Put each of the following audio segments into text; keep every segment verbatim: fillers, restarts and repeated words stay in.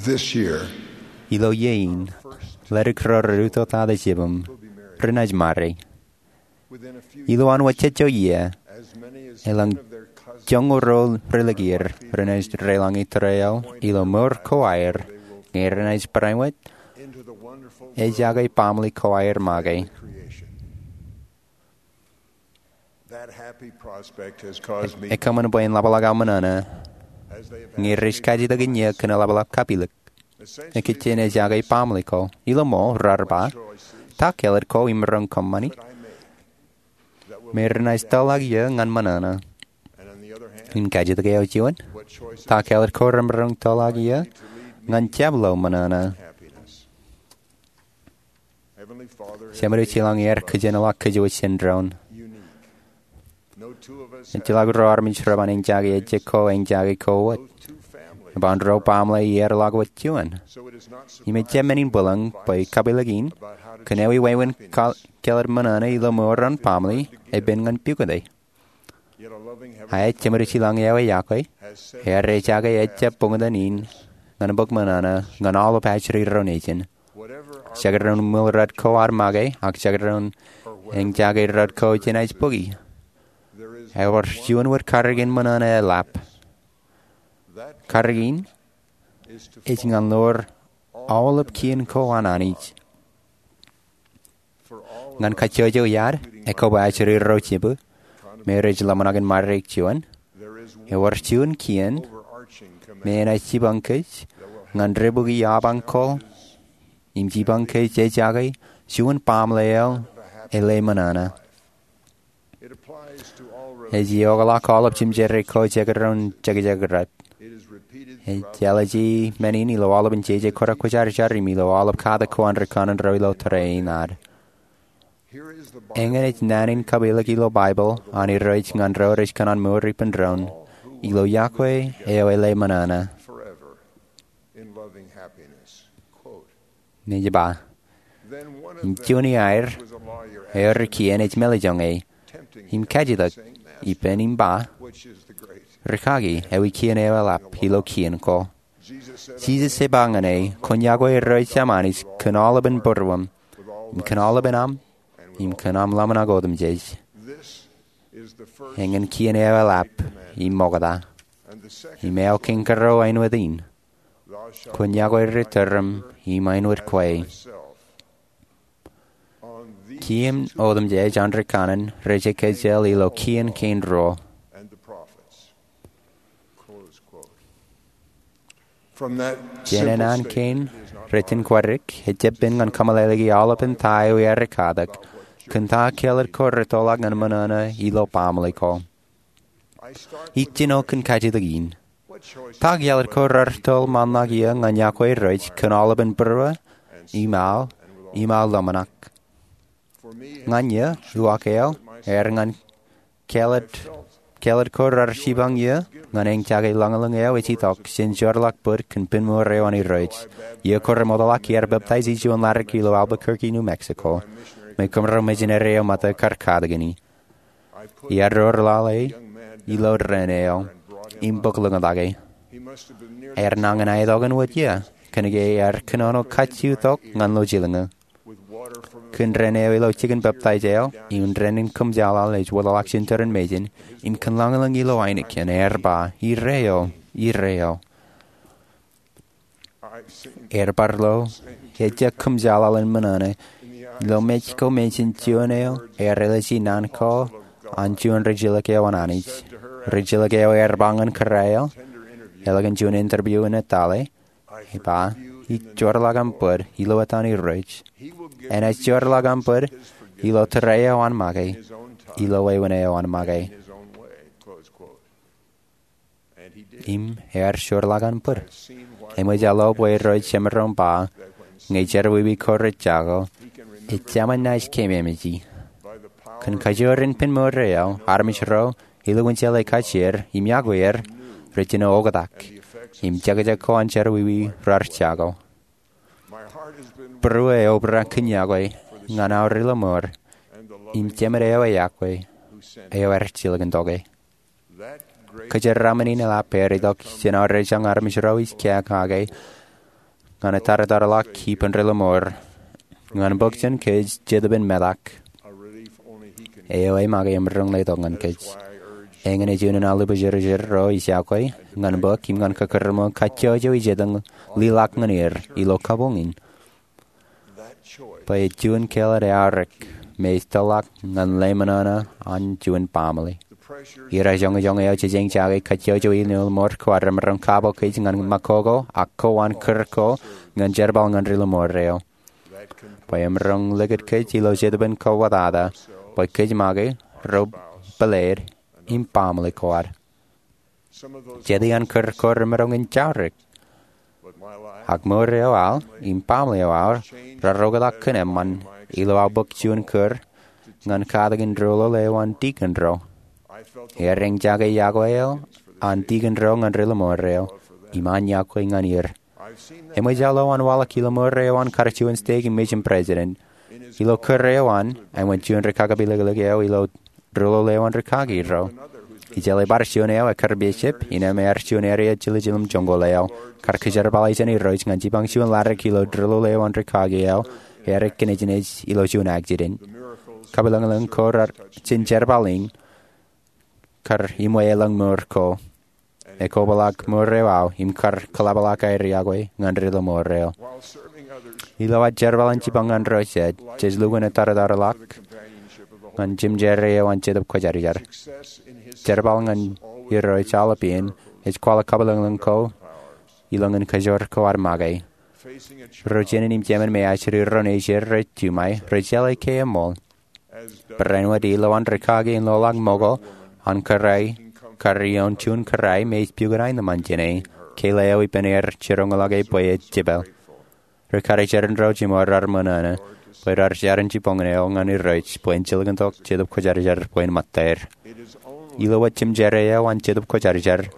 This year, ilo iiō in, ledik ro rej utōtata jibōṃ renaaj marry. Ilo an wōjejjo iiō, elōñ joñoul ro relōñ er renaaj deḷọñe tōre eo ilo mour ko aer ñe renaaj barāinwōt ejake baaṃle ko aer make. Ekōṃṃan bwe en ḷapḷọk aō ṃōṇōṇō ñe rej kajjitōk in iiō kōn eḷapḷọk kapilōk. Ekijjien ejake baaṃle ko. Ilo ṃool raar ba, ta kāālōt ko im maroñ kōṃṃani me renaaj tōllọk iiō ñan ṃōṇōṇō? Im kajjitōk eo juon, ta kāālōt ko remaroñ tōllọk iiō ñan jab lo ṃōṇōṇō? Jemedwōj ilañ ear kōjenolọk kōjwōj jān doon. Ejjeḷọk ro armej reban eñjake ejjab ko eñjake ko wōt. Eban ro baaṃle earḷọk wōt juon. Im ejjab men in bwilōñ bwe kapilōk in kōn ewi wāween kāālōt ṃōṇōṇō ilo mour an baaṃle epen ñan pukot e. Ak ej jemedwōj ilañ eo eyakwe ear ejake ejjab buñtōn in ñan bōk ṃōṇōṇō ñan aolep ajri ro nejin. Jekdọọn ṃwiil rot ko an make ak jekdọọn eñjake rot ko jenaaj bōki, ewōr juon wōt karōk in ṃōṇōṇō eḷap. Karōk in ej ñan lowōr aolep kien ko an Anij. Ñan kajjojo iaad, ekobwe ajri ro jibū me rej ḷōmṇak in marry juon, ewōr juon kien me enaaj jipañ kōj ñan debwiki apañ ko im jipañ kōj ejake juon baaṃle eo ele ṃōṇōṇō. Ej iokḷọk aolep jimjerā ko jekdọọn jekjek rot. Ej ālije men in ilo aolepān jeje kōrā kwōjarjar im ilo aolep katak ko an ri kanaan ro ilo tōre in ad. Eñin ej naan in kapilōk ilo Baibōḷ an Irooj ñan ro rej kōṇaan mour ippān doon ilo yokwe eo ele ṃōṇōṇō. Im juon iaer eo ri kien ej mālejjoñe im kajjitōk ippān im ba, Rikaki, ewi kien eo eḷap ilo kien ko? Jisōs ej ba ñan e, Kwōn yokwe Irooj Saṃ Anij kōn aolepān būruōṃ, im kōn aolepān aṃ, im kōn aṃ ḷōmṇak otemjej. Eñin kien eo eḷap im ṃokta. Im eo kein kōrā āinwōt in, Kwōn yokwe ri tōreṃ im āinwōt kwe. Kien otemjej an ri kanaan rej kajjioñ ilo kien kein ruo. Jān naan kein rej jen kwaddik, ejjab pen ñan kōmeḷeḷeiki aolepān ta eo iaar katak kōn ta kāālōt ko retōḷọk ñan ṃōṇōṇō ilo baaṃle ko. Ij jino kōn kajjitōk in. Ta kāālōt ko raar tōl ṃaanḷọk iiō ñan yokwe Irooj kōn aolepān būruō im aō im aō ḷōmṇak? Ñan iiō, uwaak eo ear ñan kāālōt ko raar jipañ iiō ñan eñjake ḷōñḷōñ eo ej itok jān jeorḷọk bōd kōn pen mour eo an Irooj. Iiō ko remootḷọk iar peptaij ij juon ḷadik ilo Albuquerque, New Mexico, me kōmro mejān eo ṃōtta kar katak ñan e. Iar doorḷọk e ilo dān eo im bōk ḷōñtak e. Ear nañin aetokan wōt iiō kōnke ear kōnono kajju tok ñan lo jilñuul. Kōn dān eo ilo jikin peptaij eo im dān in kōmjaḷaḷ ej wōtlọk jān turin mejān im kōn ḷōñḷōñ ilo ainikien ear ba, Ire eo, ire eo. Ear bar lo ejjab kōmjaḷaḷ in ṃōṇōṇō ilo mej ko mejān juon eo ear ālije naan ko an juon rijilōk eo an Anij. Rijilōk eo ear ba ñan kōrā eo, ālikin juon interview in etale, ej ba, Ij jeorḷọk aṃ bōd ilo etan Irooj. Enaaj jeorḷọk aṃ bōd ilo tōre eo an make, ilo wāween eo an make. Im ear jeorḷọk an bōd. Eṃōj aō lo bwe Irooj jemaroñ ba, ñe jerọwiwi ko rej jako, ejāmin naaj keememej. Kōn kajoor in pen mour eo, armej ro ilowinjale kajjier im yokwe er rej jino oktak im jekjek ko an jerọwiwi raar jako. Būruō eo obrak kōn yokwe ñan aō ri lọmọọr im jemed eo eyakwe eo ear jilkintok e. Kōjeraaṃṃan in eḷap ear itok jān aō rejañ armej ro ij kea kake ñan etartarḷọk ippān ri-lọmọọr ñan bōk jān kōj Jetōb in metak. Eo ej make emaroñ letok ñan kōj. Eñin ej unin aō lubjerbjer ro ij iọkwe ñan bōk im ñan kōkōrṃōn kajjojo ijetak in liḷọk ñan er ilo kabuñ in, bwe ej juon kāālōt eaorōk me ej tōrḷọk ñan lemñoṇe an juon baaṃle. Irooj joñojoñ eo jejañin jake kajjojo in ri-lọmọọr ko ad remaroñ kabo kōj ñan ṃakoko ak kowaan kūr ko ñan jerbal ñan ri-lọmọọr eo, bwe emaroñ likūt kōj ilo jetōb in kōwōtata bwe kōj make ro pāleid im baaṃle ko ad. Jet iaan kūr ko remaroñ in jaurek, ak mour eo aō im baaṃle eo aō raar oktak kōn eṃṃan ilo aō bōk juon kūr ñan katakin doulul eo an dikon ro. Eñin jake iọkwe eo an dikon ro ñan ri-lọmọọr eo im an iọkwe ñan er. Eṃōj aō lo an waḷọk ilo mour eo an kar juon steik im mejān president. Ilo kūr eo an, āinwōt juon ri-kakapilōklōk eo ilo doulul eo an rikaki ro, ij jeḷā bar juon eo ekkar bishop, innām ear juon area jiljilimjuonñoul eo, kar kōjerbale jān Irooj ñan jipañ juon laddik ilo doulul eo an rikaki eo, ear ekkinejnej ilo juon accident. Kapilōñlōñ ko jen jerbal in kar iṃwe elōñ mour ko, ekobwilōk mour eo aō im kar kōḷapḷọk aer iọkwe ñan ri-lọmọọr eo. Ilo ad jerbal in jipañ ñan ro jet, jej lukkuun etartarḷọk ñan jemjerā eo an Jetōb Kwōjarjar. Jerbal ñan Irooj aolep iien ej kwaḷọk kapilōñlōñ ko ilo ñan kajoor ko ad make. Ro jānin im jemān me ajri ro nejid rej jiṃwe, rej jeḷā ke eṃool. Barāinwōt ilo an rikaki in loḷọk ṃōko an kōrā, kar ioon juon kōrā me ej pukot aenōṃṃan jāne, keila eo ippān er jiroñḷọke bwe ej jepel. Ri-karijer in ro jiṃor raar ṃōṇōṇō bwe raar jar in jibboñōn eo ñan Irooj bwe en jilkintok Jetōb Kwōjarjar bwe en ṃōttaer. Ilo wōt jemjerā eo an Jetōb Kwōjarjar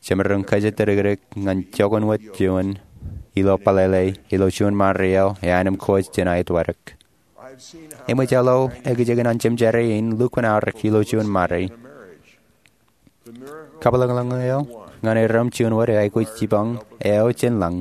jemaroñ kōjatdikdik ñan joñan wōt juon ilo pālele ilo juon ṃare eo eaṇ im kōj jān aetwōdik. Eṃōj aō lo ekijekin an jemjerā in lukkuun aorōk ilo juon ṃare. Kapilōñlōñ eo ñan erom juon wōt eo aikuj jipañ eo jān lañ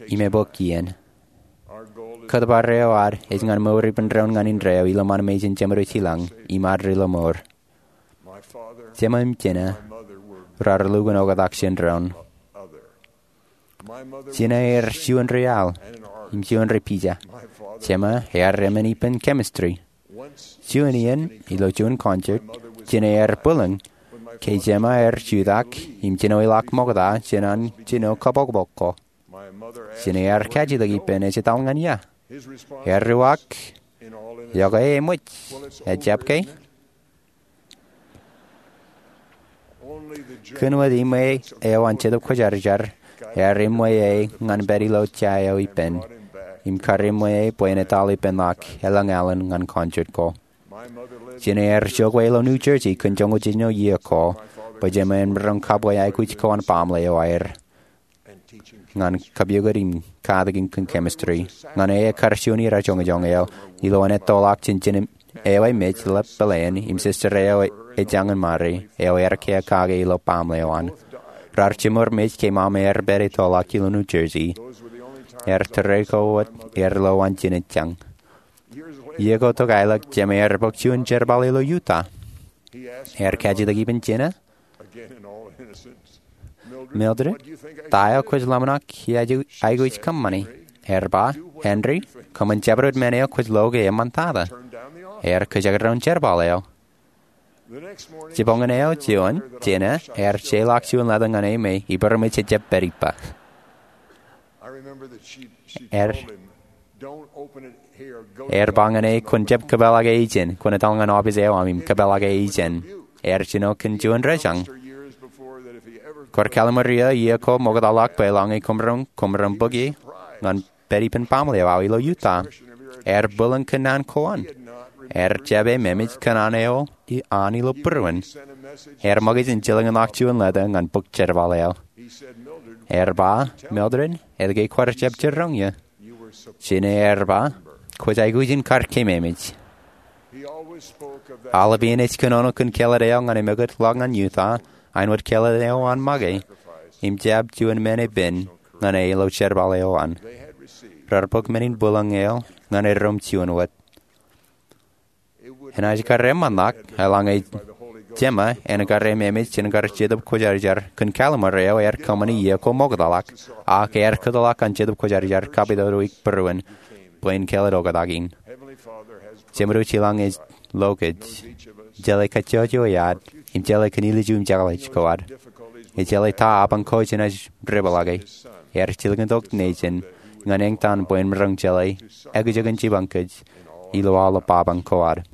im ebōk iien. Kōtbar eo ad ej ñan mour ippān doon ñan indeeo ilo ṃan mejān jemed eo jilañ im ad ri-lọmọọr. Jema im jina raar lukkuun oktak jān doon. Jina ear juon ri-al im juon ri-pija. Jema ear emān ippān chemistry. Juon iien ilo juon concert, jina ear bwilōñ ke jema ear jutak im jinoeḷọk ṃokta jān an jino kabokbok ko. Jina ear kajjitōk ippān ej etal ñan ia. Ear uwaak, "Iọkwe, eṃōj. Ejjab ke?" Kōn wōt iṃwe eo an Jetōb Kwōjarjar ear eṃṃan e ñan pād ilo ja eo ippān im kar eṃṃan e bwe en etal ippān ḷọk elōñ alen ñan concert ko. Jina ear jokwe ilo New Jersey kōn joñoul jiljino iiō ko bwe jema en maroñ kabwe aikuj ko an baaṃle eo aer ñan kapukot im katakin kōn chemistry. Ñan e ekkar juon idajoñojoñ eo ilo an ettoḷọk jān jinen eo emej ḷap peleen im sister eo ejañin ṃare eo ear kiiō kake ilo baaṃle eo an. Raar jiṃor mej ke ṃaṃa ear pād ettoḷọk ilo New Jersey. Ear tōre ko wōt ear lo an jinen jañ. Iiō ko tok aelōñ, jema ear bōk juon jerbal ilo Utah. Ear kajjitōk ippān jina, "Mildred, ta eo kwōj ḷōmṇak iaikuj kōṃṃani?" Ear ba, "Henry, kōṃṃan jabdewōt men eo kwōj lo ke eṃṃantata." Ear kōjekdọọn jerbal eo. Jibboñōn eo juon, jina ear jeorḷọk juon letter ñan e me ippād im ejjab pād ippa. Ear, ear ba ñan e, "Kwōn jab kōpeḷḷọke ijeṇ. Kwōn etal ñan office eo aṃ im kōpeḷḷọke ijeṇ." Ear jino kōn juon rōjañ. Kwaar kalimur iiō, iiō ko ṃoktaḷọk bwe eḷaññe koṃ roñ, koṃ roñ bōk ie ñan pād ippān baaṃle eo aō ilo Utah. Ear bwilōñ kōn naan ko an. Ear jab ememej kōn an eo an ilo būruon. Ear ṃōkaj in jilkinḷọk juon letter ñan bōk jerbal eo. Ear ba, "Mildred, etke kwaar jab jiroñ ie?" Jina ear ba, "Kwōj aikuj in kar kememej." Aolep iien ej kōnono kōn kāālōt eo ñan emekōt ḷọk ñan Utah, āinwōt kāālōt eo an make im jab juon men epen ñan e ilo jerbal eo an. Raar bōk men in bwilōñ eo ñan eddoṃ juon wōt. Enaaj kar eṃṃanḷọk eḷaññe jema en kar ememej jān kar Jetōb Kwōjarjar kōn Kallimer eo ear kōṃṃani iiō ko ṃoktata, ak ear kōtḷọk an Jetōb Kwōjarjar kapitōd wiik būruon bwe en kāālōt oktak in. Jemedwōj ilañ ej lo kōj jeḷā kajjojo eo ad im jeḷā kōn ilju im jeḷā ko ad. Ej jeḷā ta apañ ko jenaaj depḷọke. Ear jilkintok nejin ñan eñtaan bwe en maroñ jeḷā ekjeken jipañ kōj ilo aolep apañ ko ad.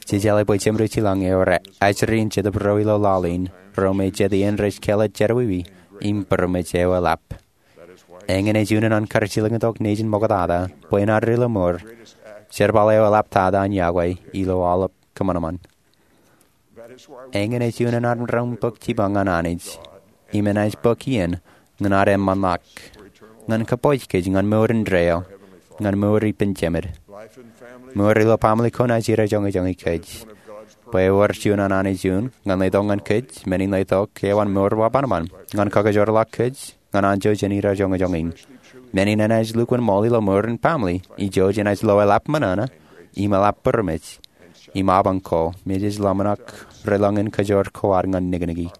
Jej jeḷā bwe Jemedwōj ilañ eo rej ajri in Jetōb ro ilo laḷ in ro me jet iien rej kāālōt jerọwiwi im būroṃōj eo eḷap. Eñin ej unin an kar jilkintok nejin ṃoktata bwe en added ilo mour jerbal eo eḷaptata an yokwe ilo aolep kōṃanṃan. Eñin ej unin an maroñ bōk jipañ ñan Anij im enaaj bōk iien ñan ad eṃṃanḷọk ñan kōpooj kōj ñan mour indeeo, ñan mour ippān jemed. Mour ilo baaṃle ko enaaj irajoñojoñi kōj. Bwe ewōr juon an Anij un ñan letok ñan kōj men in letok eo an mour bar ṃanṃan ñan kakajoorḷọk kōj ñan anjọ jān irajoñojoñ in. Men in enaaj lukkuun ṃool ilo mour in baaṃle, ijo jenaaj lo eḷap ṃōṇōṇō im eḷap būroṃōj im apañ ko me jej ḷōmṇak relōñ in kajoor ko ad ñan nikniki.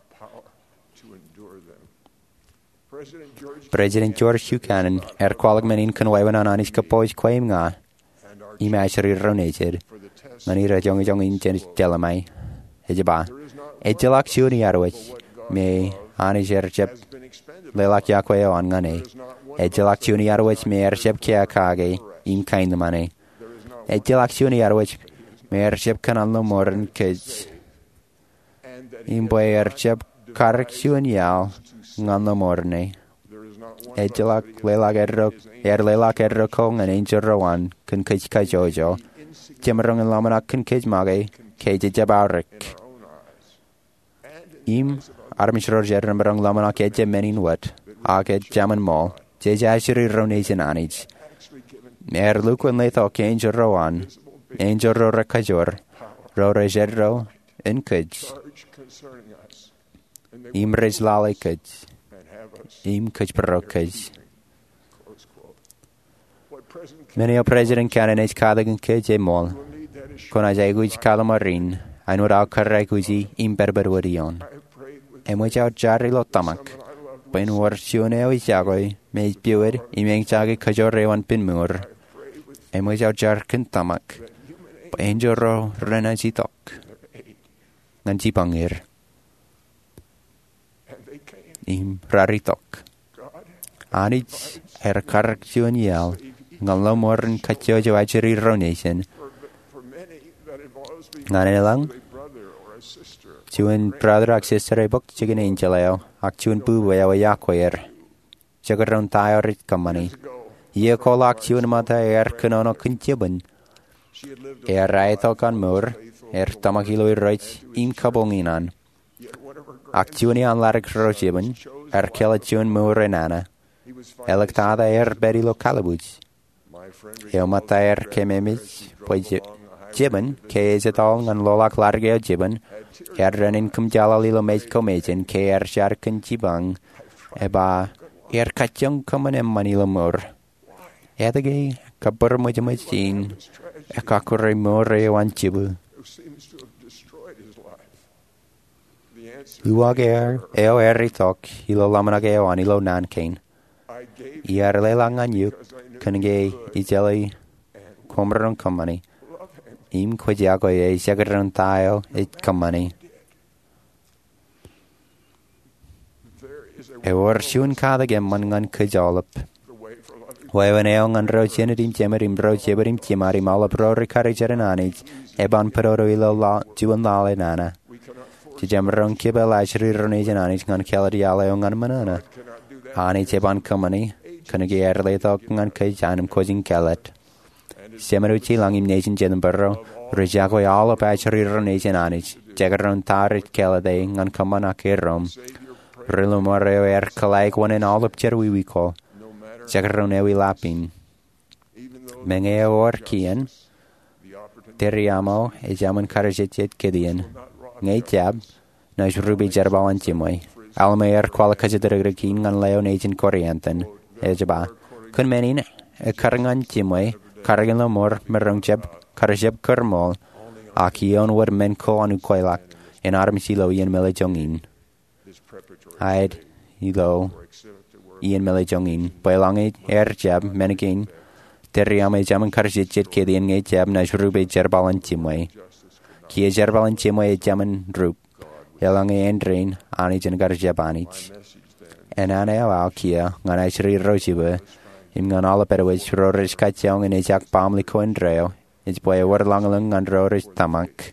President George Q. Cannon ear kwaḷọk men in kōn wāween an Anij kōpooj kwe im ña im ajri ro nejid ñan irajoñojoñ in jej jelṃae. Ej ba, ejjeḷọk juon iarwōj me Anij ear jab leḷọk yokwe eo an ñan e. Ejjeḷọk juon iarwōj me ear jab kiiō kake im kaenōṃṃane. Ejjeḷọk juon iarwōj me ear jab kōṇaan ilo mour in kōj im bwe ear jab karōk juon iaḷ ñan ilo mour in e. Ejjeḷọk leḷọk eddo, ear leḷọk eddo ko ñan enjeḷ ro an kōn kōj kajjojo. Jemaroñ in ḷōmṇak kōn kōj make ke jej jab aorōk im armej ro rej jemaroñ ḷōmṇak ejjab men in wōt, ak ejjaṃin ṃool, jej ajri ro nejin Anij. Ear lukkuun letok enjeḷ ro an, enjeḷ ro rekajoor, ro rej eddo in kōj im rej lale kōj im kōjparok kōj. Men eo President Cannon ej katakin kōj eṃṃool. Kwōnaaj aikuj kōḷmānḷọkjeṇ, āinwōt aō kōrā aikuji im pedped wōt ioon. Eṃōj aō jar ilo tōmak bwe en wōr juon eo ij yokwe me ej piwōd im eñjake kajoor eo an pen mour. Eṃōj aō jar kōn tōmak bwe enjeḷ ro renaaj itok ñan jipañ er. Im raar itok. Anij ear karōk juon iaḷ ñan ilo mour in kajjojo ajri ro nejin. Ñan eḷaññe juon brother ak sister ebōk jikin enjeḷ eo ak juon bubu eo eyokwe er. Jekdọọn ta eo rej kōṃṃani. Iiō ko ḷọk juon ṃōtta ear kōnono kōn jibwin. Ear aetok an mour, ear tōmak ilo Irooj im kabuñ in an. Ak juon iaan ḷadik ro jibwin, ear kāālōt juon mour enana. Āliktata ear pād ilo kallibwij. Eo ṃōtta ear kememej bwe je-, jibwin, ke ej ettoḷọk ñan loḷọk ḷadik eo jibwin, ear dān in kōmjeḷāḷ ilo mej ko mejān ke ear jar kōn jipañ, eba ear kajjioñ kōṃṃan eṃṃan ilo mour. Etke kabōrōṃōjṃōj in ekkakure mour eo an jibwin? Uwaak eo ear itok ilo ḷōmṇak eo an ilo naan kein. Iar leḷọk ñan eok kōnke ij jeḷā koṃ maroñ kōṃṃani. Im kwōj yokwe e jekdọọn ta eo ej kōṃṃani. Ewōr juon katak eṃṃan ñan kōj aolep. Wāween eo ñan ro jined im jemed im ro jebed im jiṃad im aolep ro rikaki jān Anij, eban pād wōt ilo ḷa-, juon laḷ enana. Jemaroñ kipel ajri ro nejin Anij ñan kāālōt iaḷ eo ñan ṃōṇōṇō. Anij eban kōṃṃani, kōnke ear letok ñan kōj an im kwōj in kāālōt. Jemān eo ilañ im nejin jet im būruō, rej yokwe aolep ajri ro nejin Anij, jekdọọn ta rej kāālōt e ñan kōṃṃan ak eddoṃ. Ri-lọmọọr eo ear kōḷḷāik oṇān aolep jerọwiwi ko, jekdọọn ewi ḷap in. Meñe ewōr kien, tōre aṃ eo ejāmin kar jejjet kōtien. Ñe ejjab, naaj rupe jerbal an jiṃwe. Alma ear kwaḷọk kōjatdikdik in ñan leo nejin Korianthon. Ej ba, Kōn men in, ekkar ñan jiṃwe, karōkin ḷōṃor, maroñ jab kar jab kōrṃool, ak ioon wōt men ko an ukweḷọk, en armej ilo iien mālōtlōt in. Aet ilo iien mālōtlōt in. Bwe eḷaññe ear jab, men kein, tōre aṃ ejāmin kar jejjet kōtaan ñe jab naaj rupe jerbal in jiṃwe. Kiiō jerbal in jiṃwe ejāmin rup. Eḷaññe āindein, Anij en kar jab Anij. Enana eo aō kiiō, ñan ajri ro jibwe, im ñan aolep āinwōt ro rej kajjioñ in ejak baaṃle ko indeeo, ej bwe ewōr ḷañlōñ ñan ro rej tōmak.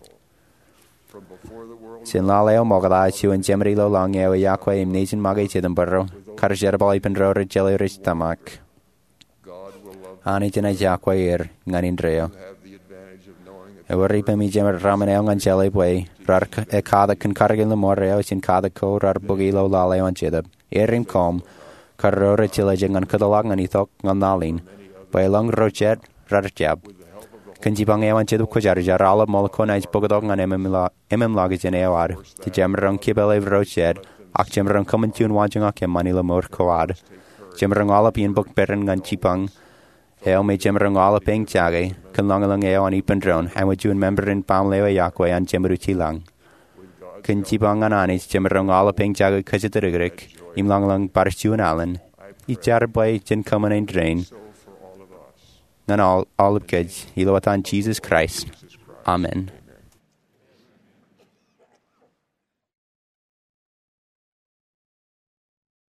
Jān lale eo ṃokta, juon Jemān ilo lañ eo ej iọkwe im nejin make Jetōb bwe ro kar jerbal ippān ro rej jeḷā rej tōmak. Anij enaaj iọkwe er ñan indeeo. Ewōr ippemi jemed ramen eo ñan jeḷā bwe raar k- ekatak kōn karōkin ḷōṃor eo jān katak ko raar bōki ilo lale eo an Jetōb. Er im koṃ, kar ro rej jeḷā jej ñan kōtḷọk ñan itok ñan laḷ in, bwe elōñ ro jet raar jab. Kōn jipañ eo an Jetōb Kwōjarjar, aolep ṃool ko naaj bōktok ñan ememlo- ememlọkjeṇ eo ad. Jemaroñ kipele ro jet, ak jemaroñ kōṃṃan juon waanjoñak eṃṃan ilo mour ko ad. Jemaroñ aolep iien bōk peran ñan jipañ eo me jemaroñ aolep eñjake kōn ḷañlōñ eo an ippān doon, āinwōt juon member in baaṃle eo ej iọkwe an Jemed Utilañ. Kōn jipañ ñan Anij, jemaroñ aolep eñjake kōjatdikdik im ḷañlōñ bar juon alen. Ij jar bwe jen kōṃṃan āindein ñan aolep kōj, ilo etan Jisōs Kraist, amen.